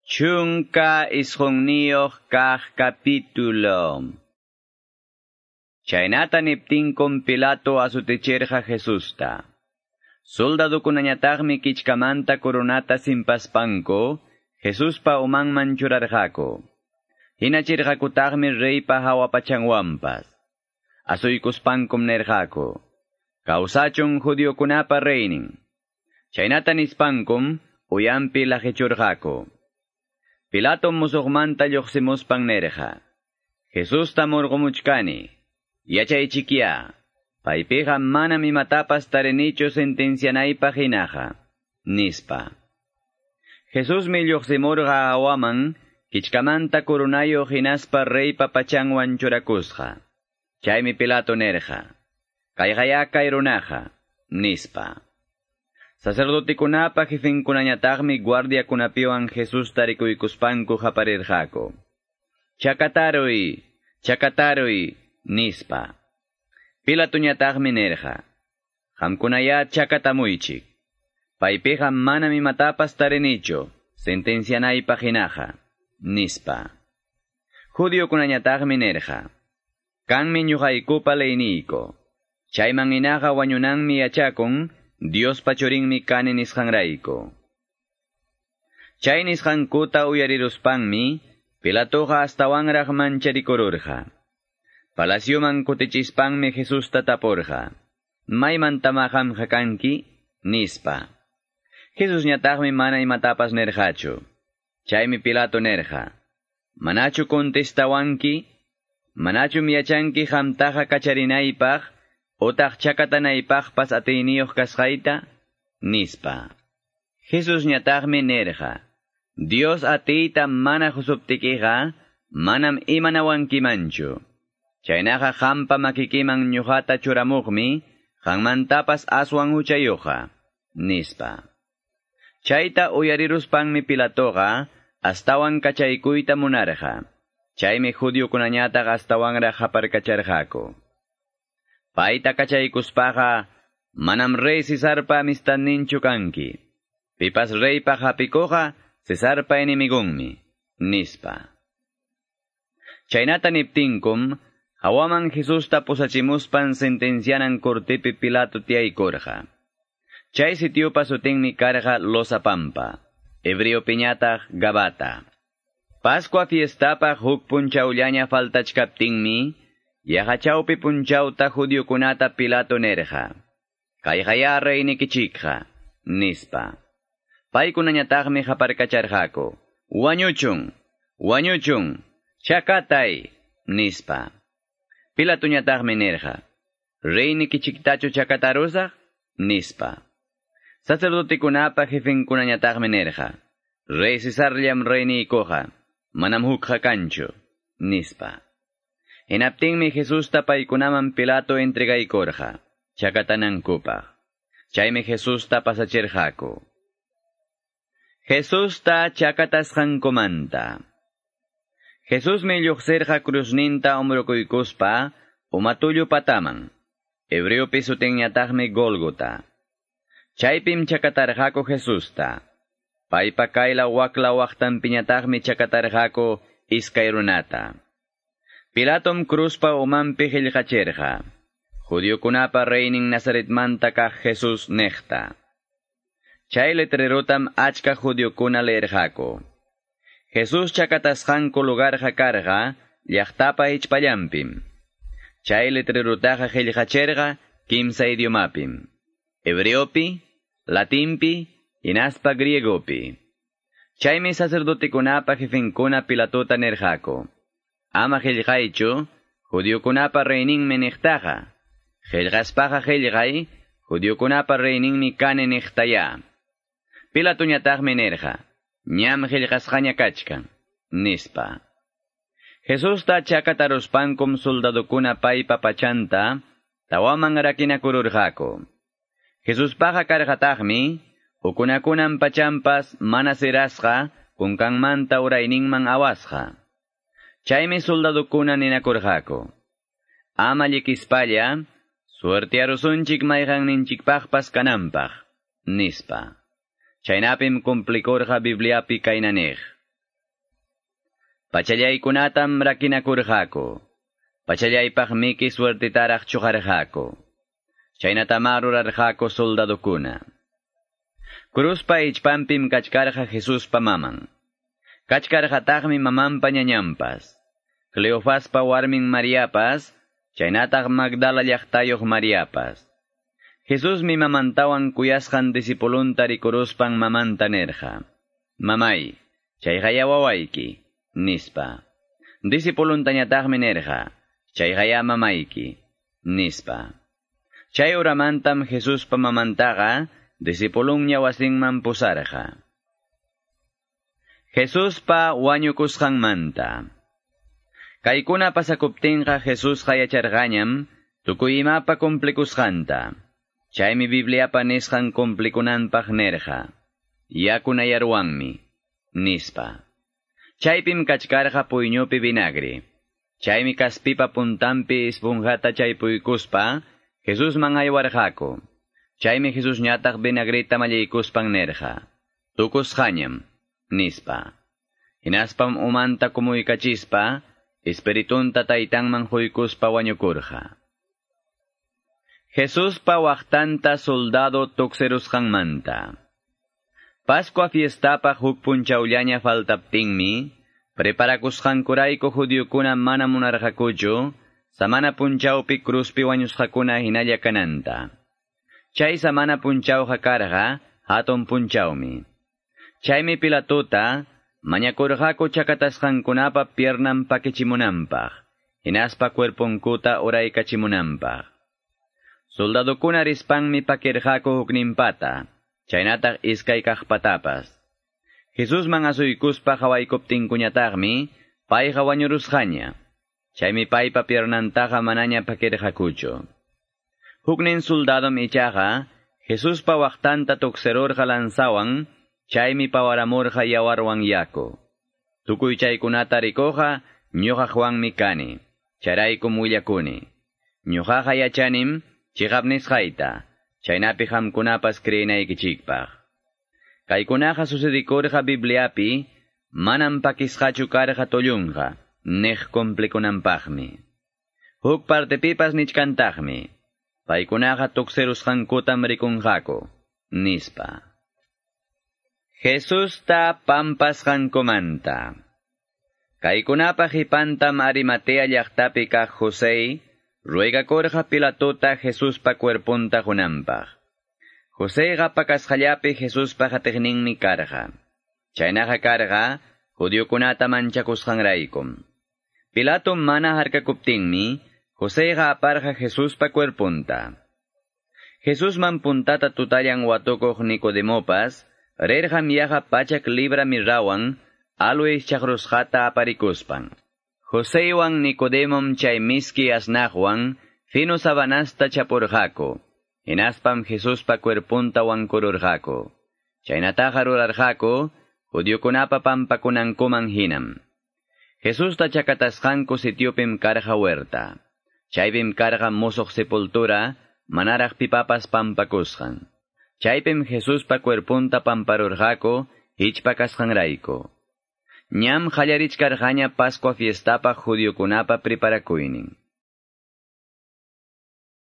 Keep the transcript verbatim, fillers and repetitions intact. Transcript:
Chunka isqunniyuq kaq capítulo. Chaynata niptinkum Pilato asutichirqa Jesusta. Soldadukunañataqmi kichkamanta coronata simpaspanku, Jesuspa umanman churarqaku. Hinachirqakutaqmi reypa hawapachanwanpas. Asuykuspankum nirqaku: "Kawsachun judiokunapa reynin." Chaynata nispankum uyampi laqichurqaku. Pilato musuqmanta lluqsimuspan nirqa: "Jesusta murqumuchkani, yachaychikya, paypiqa manam imatapas tarinichu sentencianaypaq hinaqa", nispa. Jesusmi lluqsimurqa hawaman, kichkamanta coronayuq hinaspa reypa pachanwan churakusqa. Chaymi Pilato nirqa: "Kayqaya kay runaqa", nispa. Sacerdotekunapa jefenkunañataqmi guardiakunapiwan Jesusta rikuykuspanku qaparirqaku: "Chakataruy, chakataruy", nispa. Pilatoñataqmi nirqa: "Qamkunayá chakatamuychik. Paypiqa manam imatapas tarinichu sentencianaypaq hinaqa", nispa. Judiokunañataqmi nirqa: "Kanmi ñuqaykupa leyniyku. Chayman hinaqa wañunanmi yachakun, Diospa churinmi kani nisqanrayku." Chay nisqankuta uyariruspanmi Pilatoqa astawanraq mancharikururqa. Palacioman kutichispanmi Jesusta tapurqa: "¿Maymantama qamqa kanki?" nispa. Jesusñataqmi mana imatapas nirqachu. Chaymi Pilato nirqa: "¿Manachu contestawanki? ¿Manachum yachanki qamtaqa kacharinaypaq otaq chakatanaypaqpas atiyniyuq kasqayta?" nispa. Jesusñataqmi nirqa: "Dios atiyta mana qusuptikiqa manam imanawankimanchu. Chaynaqa qampa makikiman ñuqata churamuqmi qanmantapas aswan huchayuqqa", nispa. Chayta uyariruspanmi Pilatoqa astawan kachaykuyta munarqa. Chaymi judiokunañataq astawanraq qaparkacharqaku: "Payta kachaykuspaqa manam rey Cesarpa amistadninchu kanki. Pipas reypaq hapikuqqa Cesarpa enemigunmi", nispa. Chaynata niptinkum hawaman Jesusta pusachimuspan sentencianan cortepi Pilato tiyaykurqa. Chay sitiopa sutinmi karqa Losa Pampa, hebreopiñataq Gabata. Pascua fiestapaq huk punchawllaña faltachkaptinmi, yaqa chawpi punchawta judiokunata Pilato nirqa: "Kayqaya reynikichikqa", nispa. Paykunañataqmi qaparkacharqaku: "Wañuchun, wañuchun, chakatay", nispa. Pilatoñataqmi nirqa: "¿Reynikichiktachu chakatarusaq?" nispa. Sacerdotekunapa jefenkunañataqmi nirqa: "Rey Cesarllam reyniykuqa, manam hukqa kanchu", nispa. Hinaptinmi Jesusta paykunaman Pilato entregaykurqa chakatanankupaq. Chaymi Jesusta pasachirqaku. Jesusta chakatasqankumanta. Jesusmi lluqsirqa cruzninta umrukuykuspa umatullu pataman. Hebreopi sutinñataqmi Gólgota. Chaypim chakatarqaku Jesusta. Paypa kayla wakla waqtanpiñataqmi chakatarqaku iskay runata. Pilatom cruzpa umanpi qillqachirqa: "Judiokunapa reynin Nazaretmanta kaq Jesús" niqta. Chay letrerotam achka judiokuna leerqaku. Jesús chakatasqanku lugarqa karqa llaqtapa hichpallanpim. Chay letrerotaqa qillqachirqa kimsa idiomapim: hebreopi, latinpi, hinaspa griegopi. Chaymi sacerdotekunapa jefenkuna Pilatota nirqaku: "Ama qillqaychu, judiokunapa reyninmi niqtaqa. Qillqaspaqa qillqay, judiokunapa reyninmi kani niqtaya." Pilatoñataqmi nirqa: "Ñam qillqasqaña kachkan", nispa. Jesusta chakataruspankum soldadukuna paypa pachanta tawaman rakinakururqaku. Jesuspaqa karqataqmi ukunakunan pachampas mana sirasqa kunkanmanta urayninman awasqa. Chaymi soldadukuna ninakurqaku: "Ama llikispalla, suertiarusunchik mayqanninchikpaqpas kananpaq", nispa. Chaynapim cumplikurqa Bibliapi kayna niq: Pachallaykunatam rakinakurqaku. Pachallaypaqmiki suertitaraq chuqarqaku. Chaynatamá rurarqaku soldadukuna. Cruzpa ichpanpim kachkarqa Jesuspa maman. Kachkarqataqmi mamanpa ñañanpas. Cleofaspa warmin Mariapas, chaynataq Magdala llaqtayuq Mariapas. Jesusmi mamantawan kuyasqan discipulunta rikuruspan mamanta nirqa: "Mamay, chayqaya wawayki", nispa. Discipuluntañataqmi nirqa: "Chayqaya mamayki", nispa. Chay uramantam Jesuspa mamantaqa discipulunña wasinman pusarqa. Jesuspa wañukusqanmanta. Kaykuna pasakuptinqa Jesusqa yacharqañam tukuy imapa cumplikusqanta. Chaymi Bibliapa nisqan cumplikunanpaq nirqa: "Yakunayarwanmi", nispa. Chaypim kachkarqa puyñupi vinagre. Chaymi kaspipa puntanpi esponjata chaypuykuspa Jesusman aywarqaku. Chaymi Jesusñataq vinagreta mallaykuspan nirqa: "Tukusqañam", nispa. Hinaspam umanta kumuykachispa, espiritunta taytanman huykuspa wañukurqa. Jesuspa waqtanta soldado tuksirusqanmanta. Pascua fiestapaq huk punchawllaña faltaptinmi, preparakusqankurayku judiokuna mana munarqakuchu, samana punchawpi cruzpi wañusqakuna hinalla kananta. Chay samana punchawqa karqa hatun punchawmi. Chaymi Pilatota mañakurqaku chakatasqankunapa piernan pakichimunanpaq, hinaspa cuerponkuta uraykachimunanpaq. Soldadukuna rispanmi pakirqaku hukninpata, chaynataq iskay kaqpatapas. Jesusman asuykuspa qawaykuptinkuñataqmi payqa wañurusqaña. Chaymi paypa piernantaqa manaña pakirqakuchu. Huknin soldadom ichaqa Jesuspa waqtanta tuksirurqa lanzawan, chaymi pawaramurqa yawarwan yaku. Tukuy chaykunata rikuqqa ñuqa Juanmi kani, chayraykum willakuni. Ñuqaqa yachanim chiqap nisqayta, chaynapi qamkunapas creenaykichikpaq. Kaykunaqa sucedikurqa Bibliapi, manam pakisqachu karqa tullunqa, niq cumplikunanpaqmi. Huk partepipas nichkantaqmi, paykunaqa tuksirusqankutam rikunqaku, nispa. Jesusta pampasqankumanta. Kaykunapa qipantam Arimatea llaqtapi kaq José ruegakurqa Pilatota Jesuspa cuerpunta qunanpaq. Joséqa pakasqallapi Jesuspa qatiqninmi karqa. Chaynaqa karqa judiokunata manchakusqanraykum. Pilato mana harkakuptinmi Joséqa aparqa Jesuspa cuerpunta. Jesusman puntata tutallan watukuq Nicodemopas rirqam yaqa pachak libra mirrawan aloes chaqrusqata aparikuspan. Joséwan Nicodemom chay miski asnaqwan fino sabanasta chapurqaku. Hinaspam Jesuspa cuerpunta wankururqaku. Chaynataqa rurarqaku judiokunapa pampakunankuman hinam. Jesusta chakatasqanku sitiopim karqa huerta. Chaypim karqa musuq sepultura, manaraq pipapas pampakusqan. Chaypim Jesuspa cuerpunta pamparurqaku hichpa kasqanrayku. Ñam qallarichkarqaña Pascua fiestapaq judiokunapa preparakuynin.